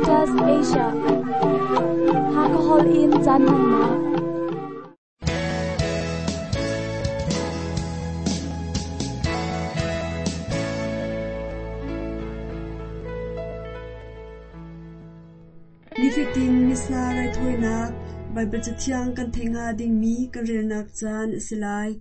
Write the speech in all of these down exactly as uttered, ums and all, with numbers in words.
Adventist Asia Hakahol in caan hmannak Nifatin Missa raithawinak Baibal Cathiang kan theih hnga dingmi kan relnak caan a si lai.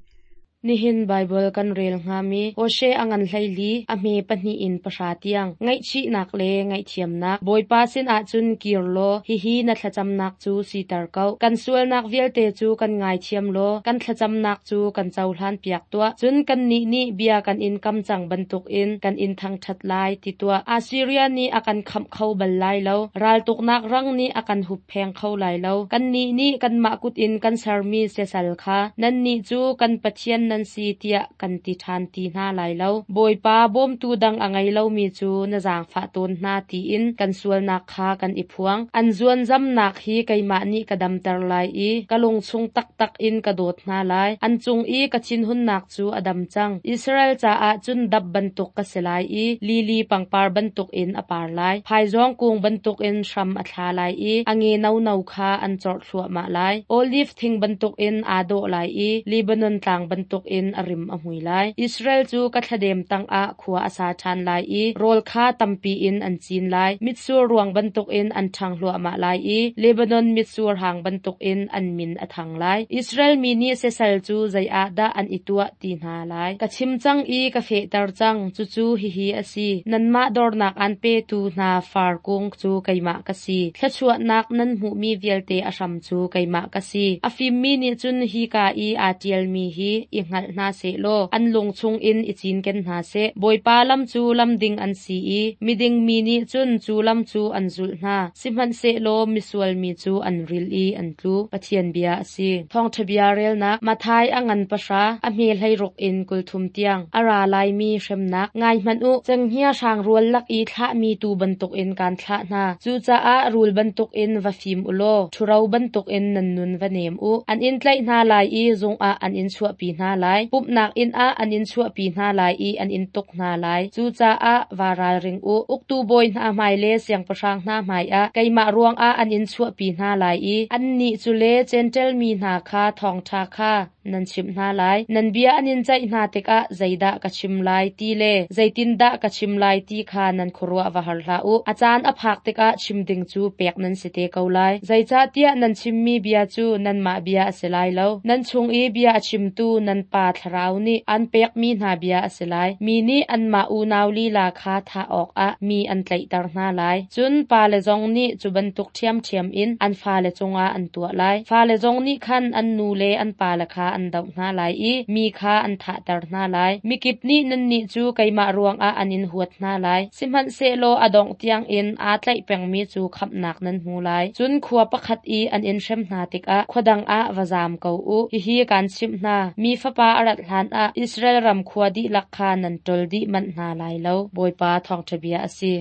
Nihin Bible kan rel hngami Hosea a ngan hleili a hme pahnih in pahra tiang ngaihchihnak le ngaihthiamnak Bawipa sin ahcun kir law hihi na thlacamnak cu siter ko kan sualnak vialte cu kan ngaithiam law kan thlacamnak cu kan cohlan piak tuah cun kan nih nih bia kan in kam cang bantuk in kan in thangthat lai ti tuah Assyria nih a kan khamh kho bal lai lo raltuknak rang nih a kan huppheng kho lai lo kan nih nih kanmah kut in kan sermi siasal kha nan nih cu kan Pathian nan si tiah kan ti ṭhan ti hna lai lo. Bawipa bawmtu dang a ngei lomi cu na zaangfah tawn hna tiin kan sualnak kha kan i phuang. An zuanzamnak hi keimah nih ka damter lai i ka lungchung taktak in ka dawt hna lai. An cung i ka thinhunnak cu a dam cang. Israel caah cun dap bantuk ka si lai i lili pangpar bantuk in a par lai. Phaizawng kung bantuk in hram a thla lai i a nge no-no kha an corh thluahmah lai. Olive thing bantuk in aa dawh lai i Lebanon tlang bantuk in a rim a hmui lai. Israel cu ka thladem tangah khua a sa ṭhan lai i rawl kha tampi in an cin lai. Mitsur ruang bantuk in an ṭhang hluahmah lai i Lebanon mitsur hang bantuk in an min a thang lai. Israel mi nih siasal cu zei ah dah an i tuah ti hna lai. Ka chim cang i ka fehter cang, cucu hihi a si. Nanmah dornak an petu hna far kung cu keimah ka si. Thluachuahnak nan hmuhmi vialte a hram cu keimah ka si. A fimmi nih cun hika i aa ṭialmi hi i hngalh hna sehlaw an lung chungin i cinken hna seh. Bawipa lam cu lam ding an si i miding mi nih cun cu lam cu an zulh hna. Sihmanhsehlaw misual mi cu an ril i an tlu. Pathian bia a si. Thawngṭha bia relnak Matthai a ngan pahra a hme hleiruk in kulthum tiang a ra laimi hremnak ngai hmanh u cenghngia hrang rual lak i thlahmi tu bantukin kaan thlah hna. Cucaah rul bantukin va fim u law ṭhuro bantukin nan nun va nem u. An in tlaih hna lai i zungah an in chuahpi hna lai. Pumhnak inn ah an in chuahpi hna lai i an in tuk hna lai. Cucaah va ralring u. Uktu bawi hna hmai le siangpahrang hna hmaiah keimah ruangah an in chuahpi hna lai i annih cu le Jentail mi hna kha thawngṭha kha nan chimh hna lai. Nan bia an in ceih hna tikah zeidah ka chim lai ti le zeitindah ka chim lai ti kha nan khuaruah va har hlah u. A caan a phak tikah chim ding cu pek nan si te ko lai. Zeicahtiah nan chimmi bia cu nanmah bia a si lai lo. Nan chung i bia a chimtu nan Pa Thlarau nih an pekmi hna bia a si lai. Mi nih anmah unau lila kha thah awkah mi an tlaihter hna lai. Cun pale zong nih cu bantuk ṭhiamṭhiam in an fale cungah an tuah lai. Fale zong nih khan an nu le an pale kha an doh hna lai i mi kha an thahter hna lai. Mikip nih nannih cu keimah ruangah an in huat hna lai. Sihmanhsehlaw a dongh tiangin aa tlaih pengmi cu khamhnak nan hmu lai. Cun khua pakhat i an in hrem hna tikah khua dang ah va zaam ko u. Hihi kaan chimh hna. Mi Fapa a rat hlanah Israel ram khua dihlak kha nan ṭol dih manh hna lai lo. Bawipa thawngṭha bia a si.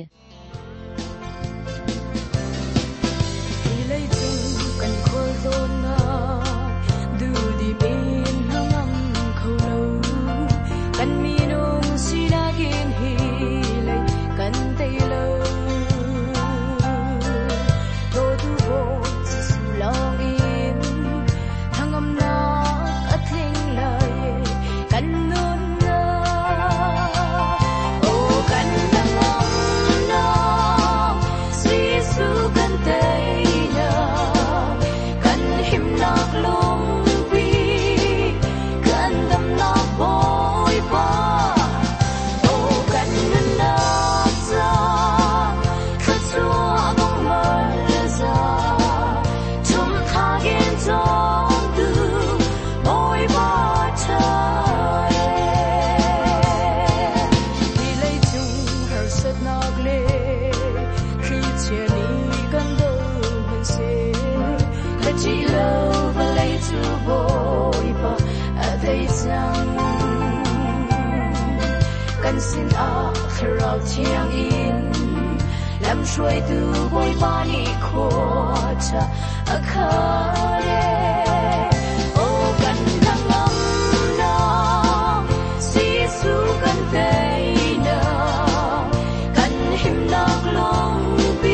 Kan himnak lungpi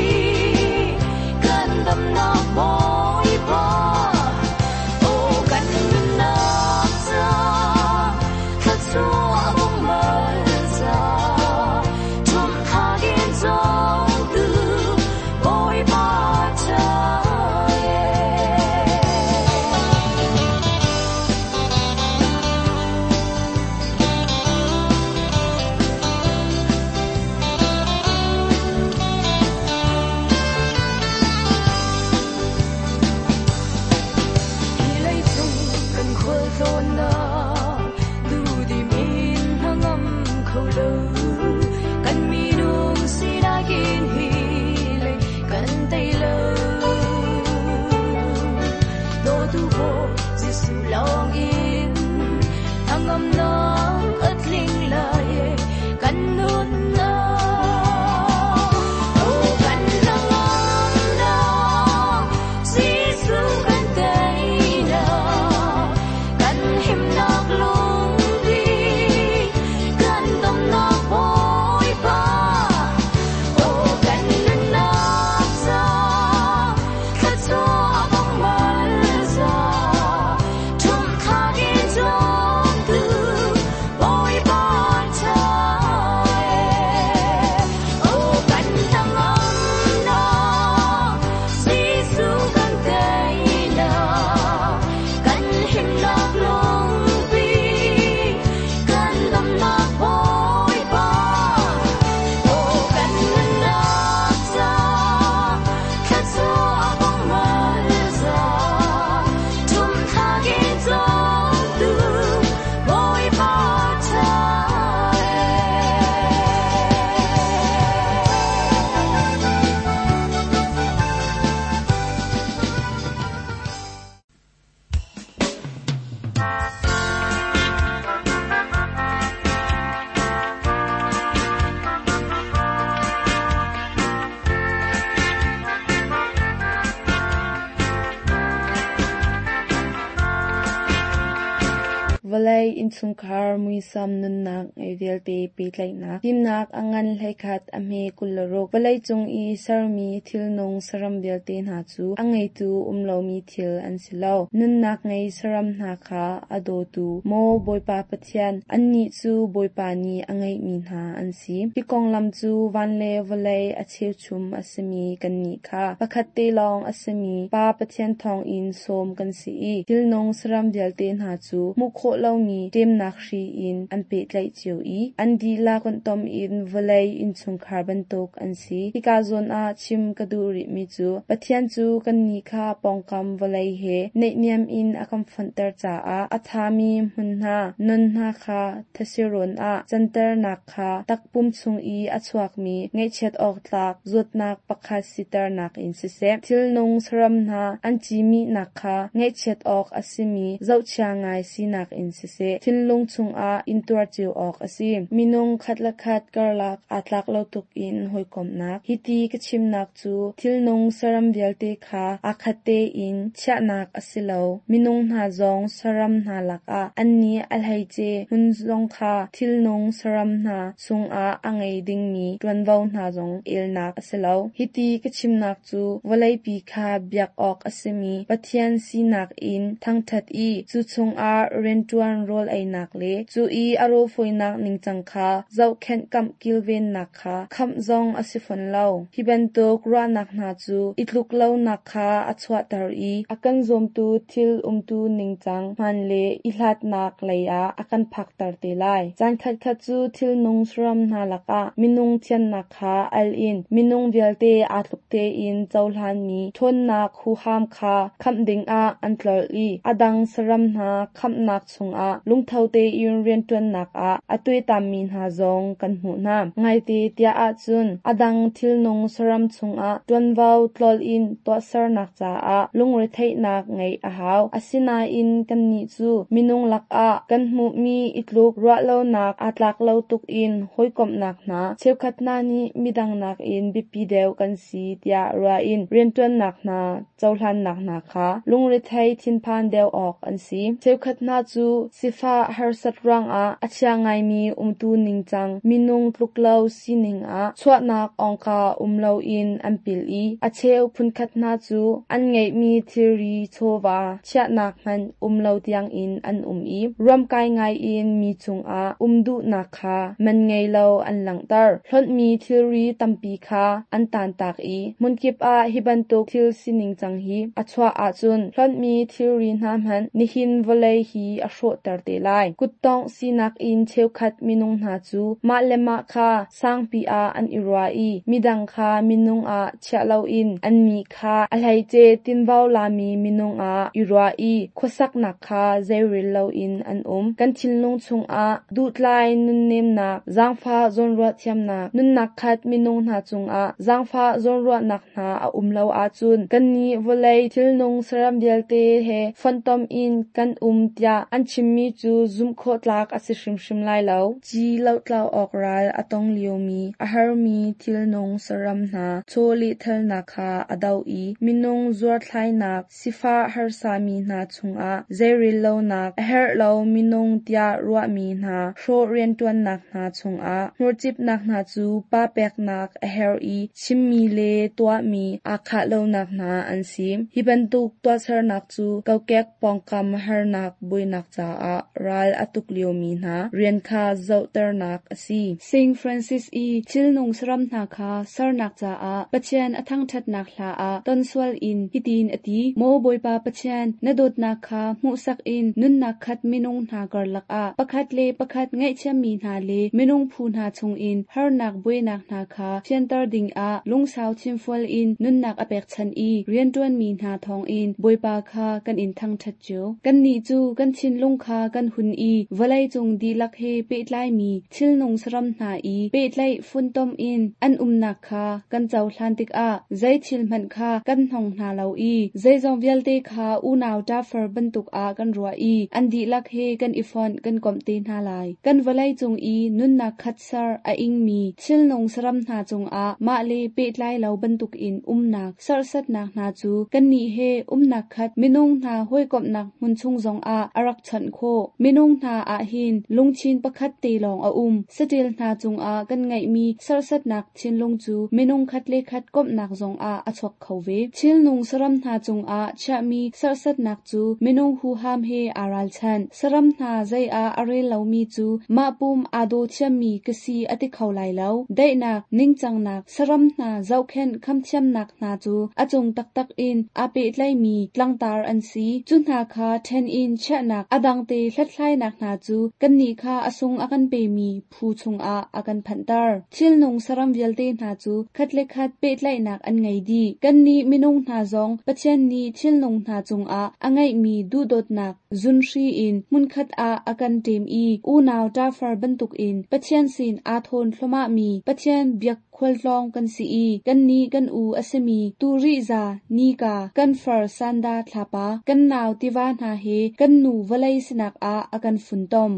Vawlei innchungkhar muisam nunnak ngei vialte pehtlaihnak. Fimnak a ngan hleikhat a hme kul le ruk. Vawleicung i sermi thilnung saram vialte hna cu a ngeitu um lomi thil an si lo. Nunnak ngei saram hna kha a dawtu maw Bawipa Pathian, annih cu Bawipa nih a ngeihmi hna an si. Hi konglam cu van le vawlei a cheuchum a simi kannih kha pakhat te lawng a simi Pa Pathian thawngin sawm kan si i thilnung saram vialte hna cu hmuh khawh lomi ṭemnak hri in an pehtlaih cio i an dihlak fonhtom in vawlei innchungkhar bantuk an si. Hika zawn ah chim ka duh rihmi cu Pathian cu kannih kha pawngkam vawlei he naihniam in a kan fonhter caah a ṭhami hmun hna, non hna kha thesirawn ah canternak kha takpum chung i a chuakmi ngaihchiat awk tlak zawtnak pakhat siternak in siseh, thilnung saram hna an cihmihnak kha ngaihchiat awk a simi zohchia ngai sinak in siseh, thinlung chungah intuar cio awk a si. Minung khat le khat karlak aa tlak lo tuk in hawikomhnak. Hiti ka chimnak cu thilnung saram vialte kha aa khat tein chiahnak a si lo. Minung hna zong saram hna lakah annih a hleice hmun zong kha thilnung saram hna chungah a ngei dingmi ṭuanvo hna zong elnak a si lo. Hiti ka chimnak cu vawleipi kha biak awk a simi Pathian sinak in thangṭhat i cu chungah rianṭuan rawl einak le cu i a rawlfawinak ningcang kha zohkhenh kamh kilvennak kha khamh zong a si fawn lo. Hi bantuk ruahnak hna cu i tluk lonak kha a chuahter i a kan zawmtu thil umtu ningcang hmaan le i hlatnak lei ah a kan phakter te lai. Caan khatkhat cu thilnung saram hna lakah minung thiannak kha al in minung vialte aa tluk tein cohlanmi ṭhawnnak huham kha khamh dingah an tlolh i a dang saram hna khamhnak chungah lungtho tein rianṭuannak ah a tuaitammi hna zong kan hmuh hna. Ngaite tiah ahcun a dang thilnung saram chungah ṭuanvo tlolh in tuahsernak caah lungretheihnak ngeih a hau. Asinain kannih cu minung lakah kan hmuhmi i tluk ruahlonak aa tlak lo tuk in hawikomhnak hna cheukhat hna nih midang nakin biapi deuh kan si tiah ruah in rianṭuannak hna cohlannak hna kha lungrethei thinphan deuh awk an si. Cheukhat hna cu sifah harsat ruangah a chia ngaimi umtu ningcang minung tluk lo sining ah chuahnak awngka um loin an pil i a cheu phunkhat hna cu an ngeihmi thilri chawva chiahnak hmanh um lo tiangin an um i ruamkai ngaiin mi cungah um duhnak kha man ngei lo an langhter. Hlonhmi thilri tampi kha an tantak i hmunkip ah hi bantuk thil sining cang hi a chuah ahcun hlonhmi thilri hna hmanh nihin vawlei hi a hrawhter te lai. Kuttongh sinak in cheukhat minung hna cu mah le mah kha sangpi ah an i ruah i midang kha minung ah chiah loin annih kha a hleice tinvo lami minung ah i ruah i khuasaknak kha zeirel loin an um. Kan thinlung chungah duhtlai nunnemnak, zaangfah zawnruah thiamnak, nunnak khat minung hna cungah zaangfah zawnruahnak hna a um lo ahcun kannih vawlei thilnung saram vialte he fonhtom in kan um tiah an chimmi cu zumh khawh tlak a si hrimhrim lai lo. Ci lohtlau awk ral a tong liomi a harmi thilnung saram hna chawlehthalnak kha a doh i minung zuarthlainak sifah harsami hna chungah zeirel lonak a herh lo minung tiah ruahmi hna hrawh rianṭuannak hna chungah hmurcipnak hna cu pa peknak a herh i chimmi le tuahmi aa khah lonak hna an si. Hi bantuk tuahsernak cu kokek pawngkam harnak buainak caah ral a tuk liomi hna rian kha zohternak a si. Saint Francis i thilnung saram hna kha sernak caah Pathian a thangṭhatnak hla ah tonsual in hitin a ti: Maw Bawipa Pathian, na dawtnak kha hmuhsak in nunnak khat minung hna karlak ah pakhat le pakhat ngaihthiammi hna le minung phu hna chungin harnak buainak hna kha fianter dingah lungsau thinfual in nunnak a pekchanh i rianṭuanmi hna thawngin Bawipa kha kan in thangṭhat cio. Kannih cu kan thinlung kha kan hun i vawleicung dihlak he pehtlaimi thilnung saram hna i pehtlaih funtom in an umnak kha kan cohlan tikah zei thil hmanh kha kan hnong hna lo i zeizong vialte kha unau ṭafar bantuk ah kan ruah i an dihlak he kan i fonh kan komh te hna lai. Kan vawleicung i nunnak khat ser a ingmi thilnung saram hna cungah mah le pehtlai lo bantukin umnak serhsatnak hna cu kannih he umnak khat minung hna hawikomhnak hmun chung zongah a rak chawnh zohkhenh khawh. Minung hna ahhin lungthin pakhat te lawng a um. Saṭil hna cungah kan ngeihmi serhsatnak thinlung cu minung khat le khat komhnak zongah a chuak kho ve. Thilnung saram hna cungah chiahmi serhsatnak cu minung huham he aa ralchanh. Saram hna zei ah a rel lomi cu mah pum aa daw thiammi ka si a ti kho lai lo. Daihnak, ningcangnak, saram hna zohkhenh khamthiamnak hna cu a cung taktak in aa pehtlaimi tlangtar an si. Cu hna kha ṭhen in chiahnak a dangte hlathlainak hna cu kannih kha a sung a kan pemi phu chungah a kan phanhter. Thilnung saram vialte hna cu khat le khat pehtlaihnak an ngei dih. Kannih minung hna zong Pathian nih thilnung hna cungah a ngeihmi duhdawtnak zunhri in hmunkhat ah a kan ṭem i unau ṭafar bantukin Pathian sin aa thawn thluahmahmi Pathian biak khualtlawng kan si i kannih kan u a simi Turihza, Nika, kan far Sanda thlapa, kan nau tiva hna he kan nu vawlei sinak ah a kan funtom.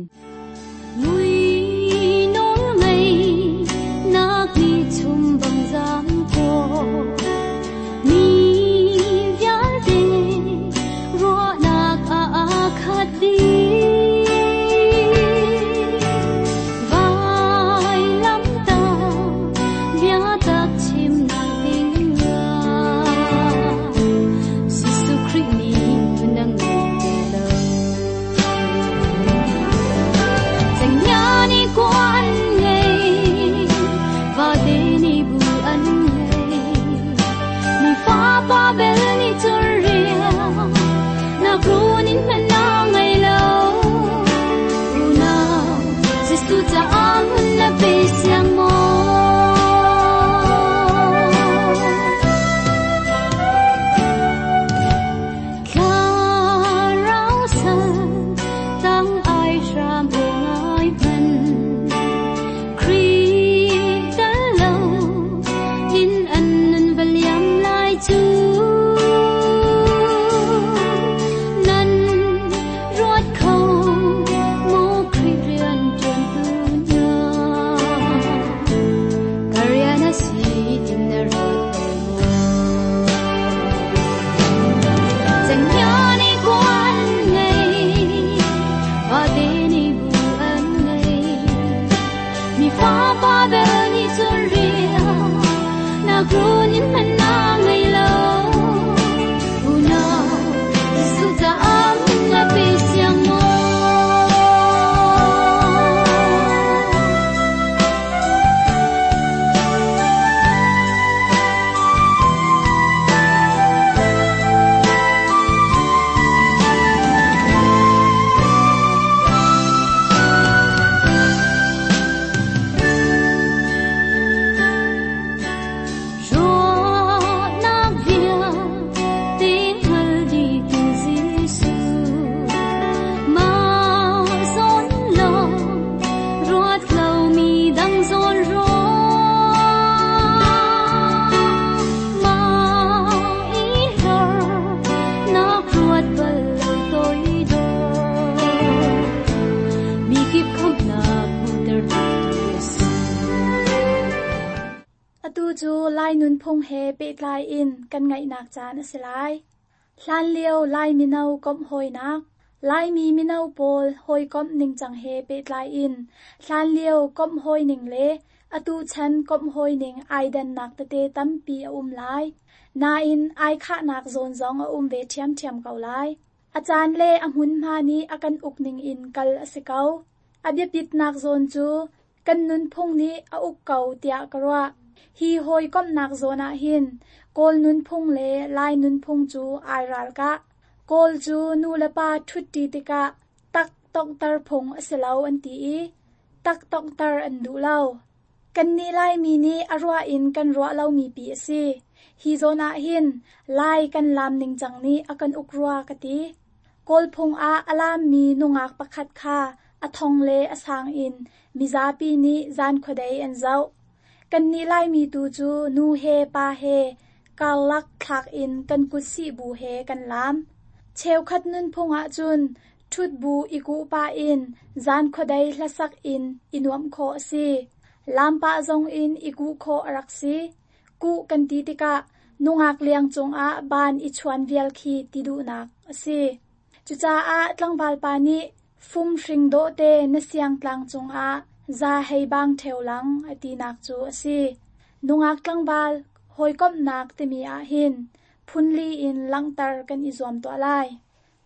Mui nawl ngei nak ni chum bang zam ko mi vialte ruahnak a khat dih vai lam ta bia tak chim nak ding Jesuh Khrih nih nang ngei te lo chẳng nhớ ni quan ngei và te ni bu an ngei mi fa pa bel ni chur ria na kru nin man na ngei lo u na Jesu cha am na pe siang mo Thlarau san tang ai hram ngai man Khrih tal lo in an nun valiam lai chu nan ruat kho mo Khrih rian tuan tu na Kariana si tin na ruat bel mo Chẳng nhớ ni quan ngei và te ni bu an ngei mi fa pa bel ni chun ria na kru nin man na ngei lo u na Jesu cha am na pe siang mo Ruahnak vialte hngal dih tu Jesuh mah zawn lawng ruat lomi dang zawn ruah mah i hlor nak ruat bal lo toidor mi kip khamhnak hmuhter tu a si. Atu cu Lai nunphung he pehtlai in kan ngaihnak caan a si lai. Hlan lio Lai mino komh hawinak, Laimi mino pawl hawikomh ningcang he pehtlai in hlan lio komh hawining le atu chan komh hawining ai dannak tete tampi a um lai. Nain ai khahnak zawn zong a um ve ṭhiamṭhiam ko lai. A caan le a hmunhma nih a kan uk ning in kal a si ko. A biapitnak zawn cu kan nunphung nih a uk ko tiah ka ruah. Hi hawikomhnak zawn ah hin Kawl nunphung le Lai nunphung cu ai ralkah. Kawl cu nu le pa ṭhutṭi tikah tak tonghter phung a si lo an ti i tak tonghter an duh lo. Kannih Laimi nih a ruah in kan ruah lomi pi a si. Hi zawn ah hin Lai kan laam ningcang nih a kan uk rua ka ti. Kawl phung ah a laammi nungak pakhat kha a thong le a sang in mizapi nih zan khuadei an zoh. Kannih Laimi tu cu nu he pa he karlak thlak in kan kut sih bu he kan laam. Cheukhat nunphung ahcun ṭhut bu i kuh pah in zan khuadei hlasak in i nuamh khawh a si. Laam pah zong in i kuh khawh a rak si. Kuh kan ti tikah nungak liang cungah baan i chuan vial khi ti duhnak a si. Cucaah tlangval pa nih Fum hring dawh te na siang tlang cungah za hei bang ṭheo lang a tinak cu a si. Nungak tlangval hawikomhnak timi ahhin phunli in langhter kan i zuam tuah lai.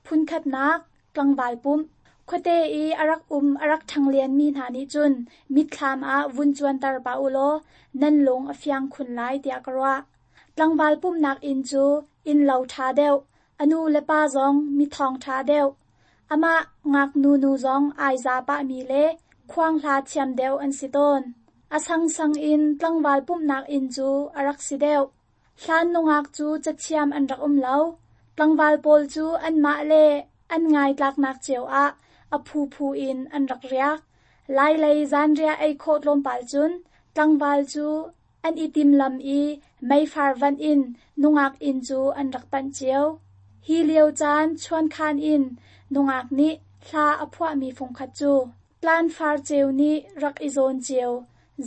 Phunkhatnak tlangval pumh. Khuate i a rak um a rak ṭhanglianmi hna nih cun mitthlam ah vun cuanter pah ulaw nan lung a fiang khun lai tiah ka ruah. Tlangval pumhnak inn cu innlo ṭha deuh, a nu le pa zong mithawng ṭha deuh, amah ngaknu nu zong ai za pahmi le khuang hla thiam deuh an si tawn. A sangsang in tlangval pumhnak inn cu a rak si deuh. Hlan nungak cu cathiam an rak um lo. Tlangval pawl cu anmah le an ngaitlaknak cio ah a phuphu in an rak riak. Lailei zanriah ei khawh tlawmpal cun tlangval cu an i timlam i meifar vanh in nungak inn cu an rak panh cio. Hi lio caan chuankhan in nungak nih hla a phuahmi fungkhat cu tlanfar ceu nih rak i zawn cio,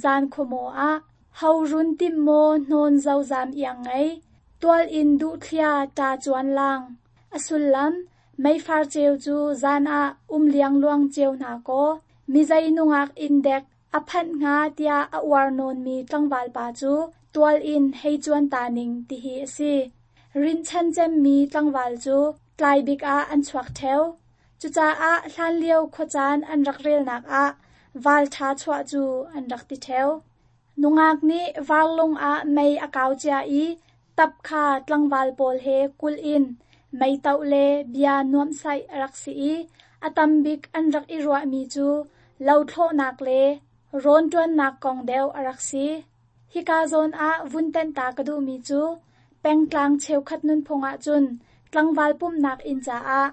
zan khuamaw ah ho run tim maw hnawn zozam iang ngei, tual in duhthlia ṭa cuan lang. A sullam, meifar ceu cu zan ah um liangluang cio hna kaw, mizei nungak inn dek a phanh hnga tiah a uar nawnmi tlangval pa cu tual in hei cuan ta ning tihi a si. Rinhchan cemmi tlangval cu tlai bik ah an chuak ṭheo. Cucaah hlanlio khuacaan an rak relnak ah val ṭha chuah cu an rak ti ṭheo. Nungak nih varlung ah mei a kau cia i tap kha tlangval pawl he kulh in mei toh le bia nuamhsaih a rak si i a tam bik an rak i ruahmi cu lothlawhnak le rawnṭuannak kong deuh a rak si. Hika zawn ah vun tenh ta ka duhmi cu pengtlang cheukhat nunphung ahcun tlangval pumhnak inn caah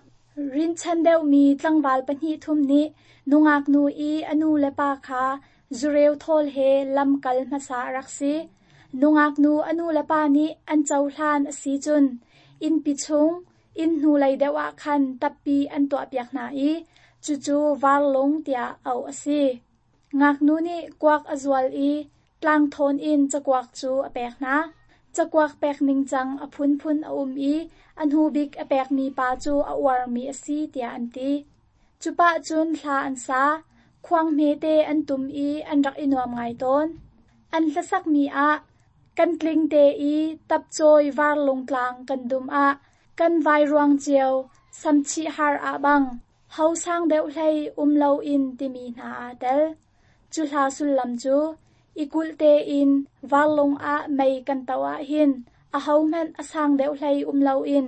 rinhchan deuhmi tlangval pahnih thum nih nungak nu i a nu le pa kha zureu thawl he lamkal hmasa a rak si. Nungak nu a nu le pa nih an cohlan a si cun innpi chung inn hnulei deuh ah khan tappi an tuahpiak hna i cucu varlung tiah auh a si. Ngaknu nih kuak a zual i tlangthawn in cakuak cu a pek hna. Cakuak pek ningcang a phunphun a um i a hnu bik a pekmi pa cu a uarmi a si tiah an ti. Cupah cun hla an sa, khuang hmete an tum i an rak i nuam ngai tawn. An hlasakmi ah kan tling te i tapcawi varlung tlang kan dum ah kan vairuang cio samchih har ah bang ho sang deuh hlei um loin timi hna aa tel. Cu hla sullam cu i kulh tein varlung ah mei kan toh ahhin ahohmanh a sang deuh hlei um loin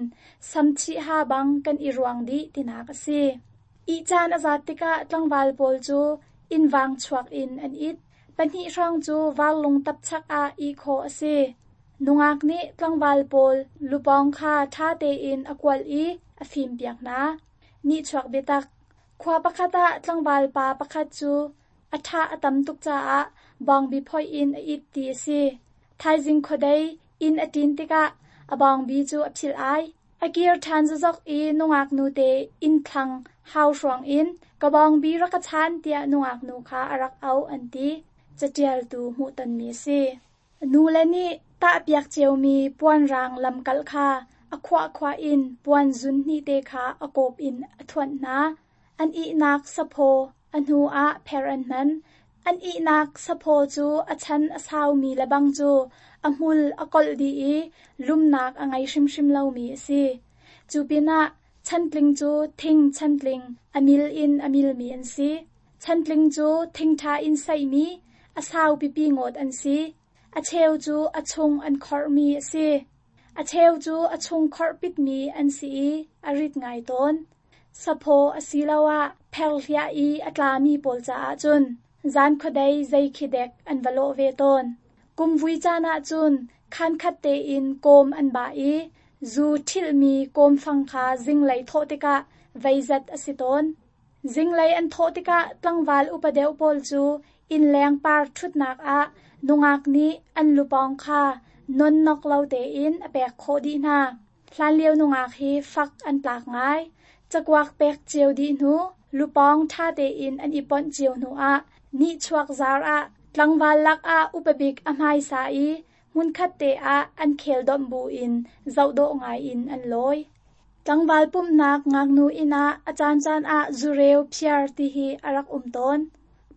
samchih ha bang kan i ruang dih tinak a si. Ihcaan a zat tikah tlangval pawl cu innvang chuak in an it. Pahnih hrawng cu varlung tapchak ah ih khawh a si. Nungak nih tlangval pawl lupawng kha ṭha tein a kualh i a fimpiak hna. Nihchuak biatak. Khua pakhat ah tlangval pa pakhat cu a ṭha a tam tuk caah bawngbi phoih in a it ti a si. Thaizing khuadei inn a ṭin tikah a bawngbi cu a philh ai. A kir ṭhan zazok i nungak nute inn thlang hau hruang in ka bawngbi rak ka chan tiah nungak nu kha a rak auh an ti. Catialtu hmuhtonmi a si. Nu le nih tahpiak ciomi puanrang lamkal kha a khuahkhuah in puan zun hnih te kha a kawp in a thuanh hna. An ihnak saphaw a hnu ah pher an hman. An ihnak saphaw cu a chan a saumi lebang cu a hmul a kolh dih i lumnak a ngei hrimhrim lomi a si. Cu pinah chantling cu thing chantling a mil in a milmi an si. Chantling cu thingṭha in saihmi a sau pipi ngawt an si. A cheu cu a chung an khorhmi a si. A cheu cu a chung khorh pitmi an si i a rit ngai tawn. Saphaw asiloah pherhliah i a tlami pawl caah cun zan khuadei zei khi dek an va lawh ve tawn. Kumvui caan ahcun khankhat tein kawm an bah i zu ṭhilhmi kawmfang kha zinglei thawh tikah veizat a si tawn. Zinglei an thawh tikah tlangval upa deuh pawl cu innleng par ṭhutnak ah nungak nih an lupawng kha nonnok lo tein a pek khawh dih hna. Hlanlio nungak hi fak an tlak ngai. Cakuak pek cio dih hnu, lupawng ṭha tein an i ponh cio hnu ah nihchuak zar ah tlangval lakah upa bik a hmaisa i hmunkhat te ah an khel domh buin zohdawh ngai in an lawi. Tlangval pumhnak ngaknu inn ah a caancaan ah zureu phiar ti hi a rak um tawn.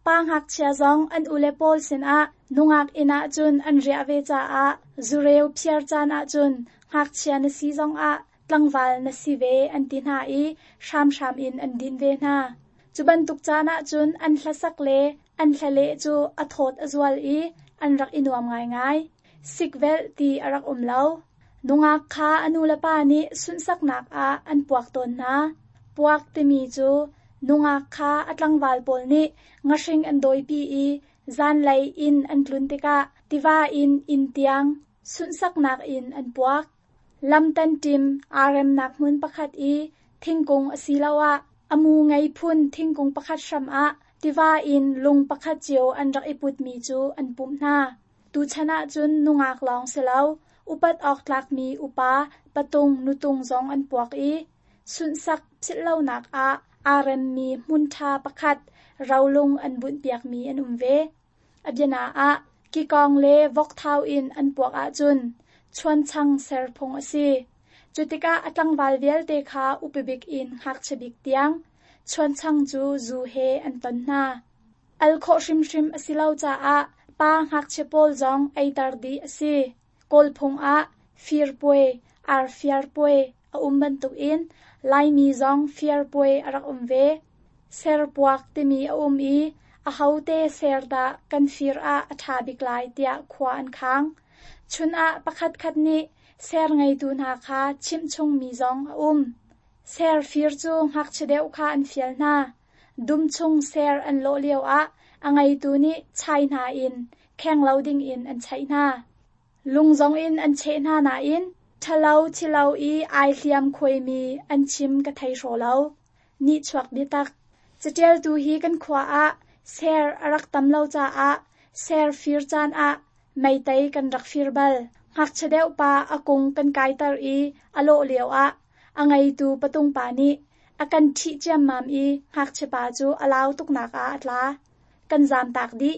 Pa ngakchia zong an ule pawl sinah nungak inn ahcun an riah ve caah zureu phiar caan ahcun ngakchia na si zongah tlangval na si ve an ti hna i hramhram in an din ve hna. Cu bantuk caan ahcun an hlasak le an hlaleh cu a thawt a zual i an rak i nuam ngaingai. Sikvelh ti a rak um lo. Nungak kha a nulepa nih sunhsaknak ah an puak tawn hna. Puak timi cu nungak kha a tlangval pawl nih ngahring an dawipi i zanlei inn an tlun tikah tiva in inn tiang sunhsaknak in an puak. Lamtan ṭim aa remnak hmun pakhat i thingkung asiloah a mu ngei phun thingkung pakhat hram ah tiva in lung pakhat cio an rak i putmi cu an pumh hna. Tuchan ahcun nungak lawng si lo, upat awk tlakmi upa patung nutung zong an puak i sunhsak philhlonak ah aa remmi hmun ṭha pakhat rolung an bunhpiakmi an um ve. A biana ah kikawng le vokthau in an puak ahcun chuanchang ser phung a si. Cu tikah a tlangval vialte kha upabik in ngakchia bik tiang chuanchang cu zu he an ton hna. Al khawh hrimhrim a si lo caah pa ngakchia pawl zong eiter dih a si. Kawl phung ah firpuai, arfiarpuai a um bantukin Laimi zong firpuai a rak um ve. Serpuak timi a um i ahote ser dah kan fir ah a ṭha bik lai tiah khua an khang. Chun ah pakhatkhat nih ser ngeitu hna kha chimh chungmi zong a um. Ser fir cu ngakchia deuh kha an fial hna. Dum chung ser an lawh lioah a ngeitu nih chai hna in kheng lo dingin an chaih hna. Lung zong in an cheh hna nain ṭhalo thilo i ai hliam khuaimi an chim ka thei hraw lo. Nihchuak biatak. Caṭialtu hi kan khua ah ser a rak tam lo caah ser fir caan ah meitei kan rak fir bal. Ngakchia deuh pa a kung kan kaiter i a lawh lioah a ngeitu patung pa nih a kan ṭhih ciammam i ngakchia pa cu a lau tuknak ah a tla. Kan zaamtak dih.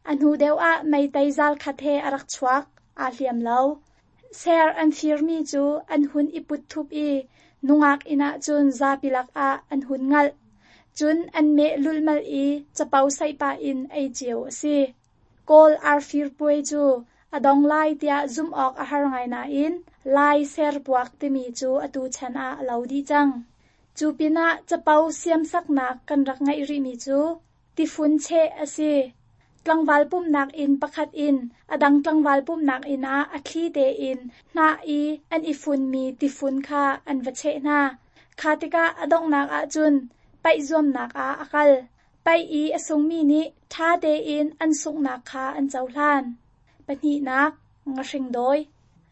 A hnu deuh ah meitei zal khat he a rak chuak. Aa hliam lo. Ser an firmi cu an hun i put thup i nungak inn ahcun zapi lakah an hun ngalh. Cun an meh lulhmalh i capo saih pah in ei cio a si. Kawl arfir puai cu a dong lai tiah zumh awk a har ngai nain Lai serpuak timi cu atu chan ah a lo dih cang. Cu pinah capo siamsaknak kan rak ngeih rihmi cu tifun cheh a si. Tlangval pumhnak inn pakhat in a dang tlangval pumhnak inn ah a thli tein hnah i an i funmi tifun kha an va cheh hna. Kha tikah a donghnak ahcun paih zuamnak ah a kal. Paih i a sungmi nih ṭha tein an sunghnak kha an cohlan. Pahnihnak, ngahring dawi.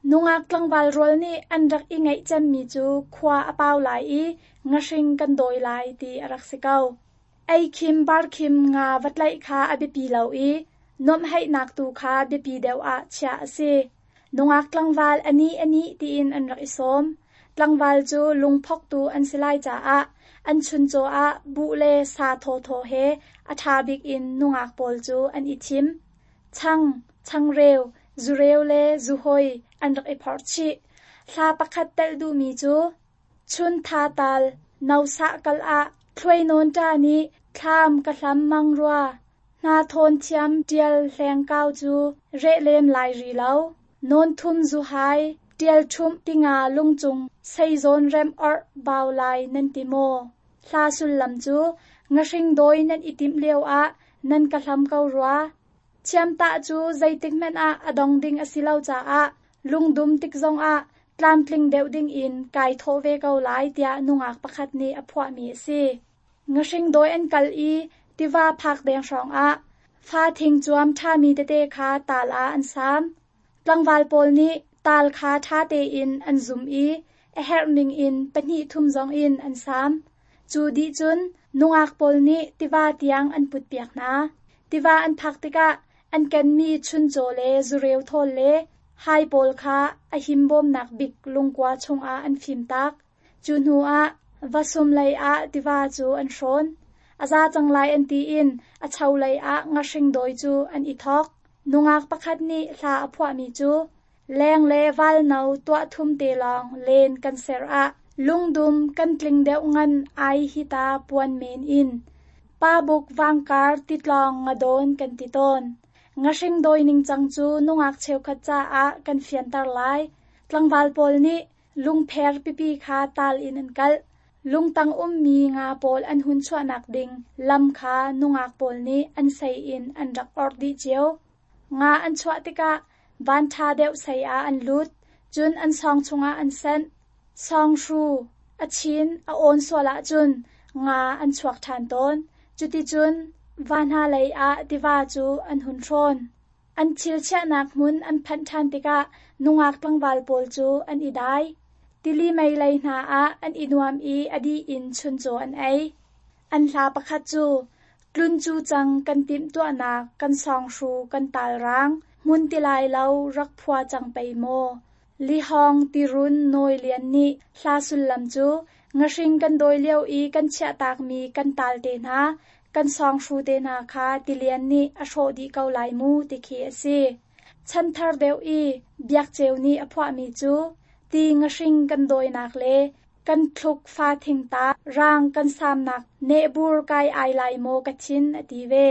Nungak tlangval rual nih an rak i ngeih cemmi cu khua a pau lai i ngahring kan dawi lai ti a rak si ko. Ei khim bar khim nga va tlaih kha a biapi lo i nuamhheihnak tu kha biapi deuh ah chiah a si. Nungak tlangval ani ani tiin an rak i sawm. Tlangval cu lungphoktu an si lai caah an chuncaw ah buh le sa thawthaw he a ṭha bik in nungak pawl cu an i thim. Chang, changreu, zureu le zuhoi an rak i phorh chih. Hla pakhat telh duhmi cu chun tha tal no sah kal ah thluai nawn ṭa nih thlam ka hlam mang rua. Hna thawn thiam ṭial hleng kau cu reh lem lai ri lo. Nawn thum zuhai ṭial ṭhumh tinga lungcung seizawn rem orh bau lai nan ti maw? Hla sullam cu ngahring dawi nan i timh lioah nan ka hlam ko rua. Thiamtah cu zeitik hmanh ah a dong ding a si lo caah lungdum tik zongah tlamtling deuh dingin kai thawh ve ko lai tiah nungak pakhat nih a phuahmi a si. Ngahring dawi an kal i tiva phak deng hrawngah fa thing cuam ṭhami tete kha taal ah an saam. Tlangval pawl nih taal kha ṭha tein an zum i a herh ningin pahnih thum zong in an saam. Cu dih cun nungak pawl nih tiva tiang an putpiak hna. Tiva an phak tikah an kenmi chuncaw le zureu thawl le hai pawl kha a himbawmnak bik lungkua chungah an fimtak. Cu hnuah vasum lei ah tiva cu an hrawn. A za cang lai an tiin a cho lei ah ngahring dawi cu an i thawk. Nungak pakhat nih hla a phuahmi cu leng le val no tuah thum te lawng len kan ser ah Lungdum kan tling deuh ngan ai hita puan men in. Pa buk vangkar titlawng nga dawn kan ti tawn. Ngahring dawi ningcang cu nungak cheukhat caah kan fianter lai. Tlangval pawl nih lungpher pipi kha tal in an kalh. Lungtang ummi nga pawl an hun chuahnak ding lam kha nungak pawl nih an sei in an rak orh dih cio. Nga an chuah tikah van ṭha deuh sei ah an lut, cun an sawng chungah an senh. Sawng hru a chin a awn sual ahcun nga an chuak ṭhan tawn. Cuticun va hna lei ah tiva cu an hun hrawn. An thil chiahnak hmun an phanh ṭhan tikah nungak tlangval pawl cu an i dai. Tili mei lei hna ah an i nuam i a dih in chuncaw an ei. An hla pakhat cu tlun cu cang kan timhtuahnak kan sawnghru kan talrang hmun ti lai lo rak phua cang pei maw. Lihawng tirun nawi lian nih hla sullam cu ngahring kan dawi lio i kan chiahtakmi kan tal te hna, kan sawnghru te hna kha tilian nih a hrawh dih ko lai mu ti khi a si. Chanthar deuh i biakceu nih a phuahmi cu ti ngahring kan dawinak le kan thluk fa thingta rang kan samnak nehbur kai ai lai maw ka thin a ti ve.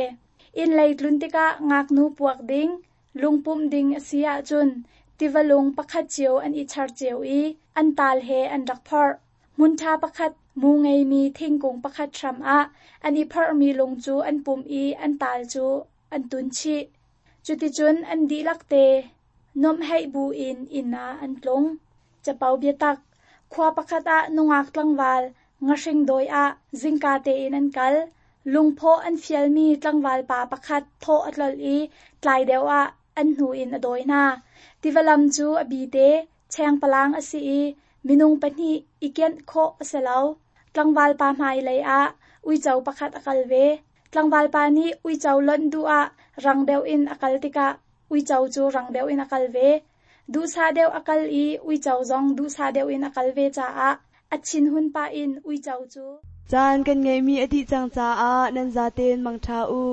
Inn lei tlun tikah ngaknu puak ding, lungpumh ding a si ahcun tiva lung pakhat cio an i char cio i an tal he an rak phorh. Hmun ṭha pakhat mu ngeimi thingkung pakhat hram ah an i phorhmi lung cu an pumh i an tal cu an tun chih. Cuticun an dihlak te nuamhheih bu in inn ah an tlung. Capo biatak khua pakhat ah nungak tlangval ngahring dawi ah zingka tein an kal. Lungphaw an fialmi tlangval pa pakhat thawh a tlolh i tlai deuh ah an hnu in a dawi hna. Tivalam cu a bi te, chengpalang a si i minung pahnih i kianh khawh a si lo. Tlangval pa hmailei ah uico pakhat a kal ve. Tlangval pa nih uico lonh duh ah rang deuh in a kal tikah uico cu rang deuh in a kal ve. Duhsah deuh a kal i uico zong duhsah deuh in a kal ve caah a thinhun pah in uico cu Caan kan ngeihmi a dih cang caah nan zaten mangṭha u.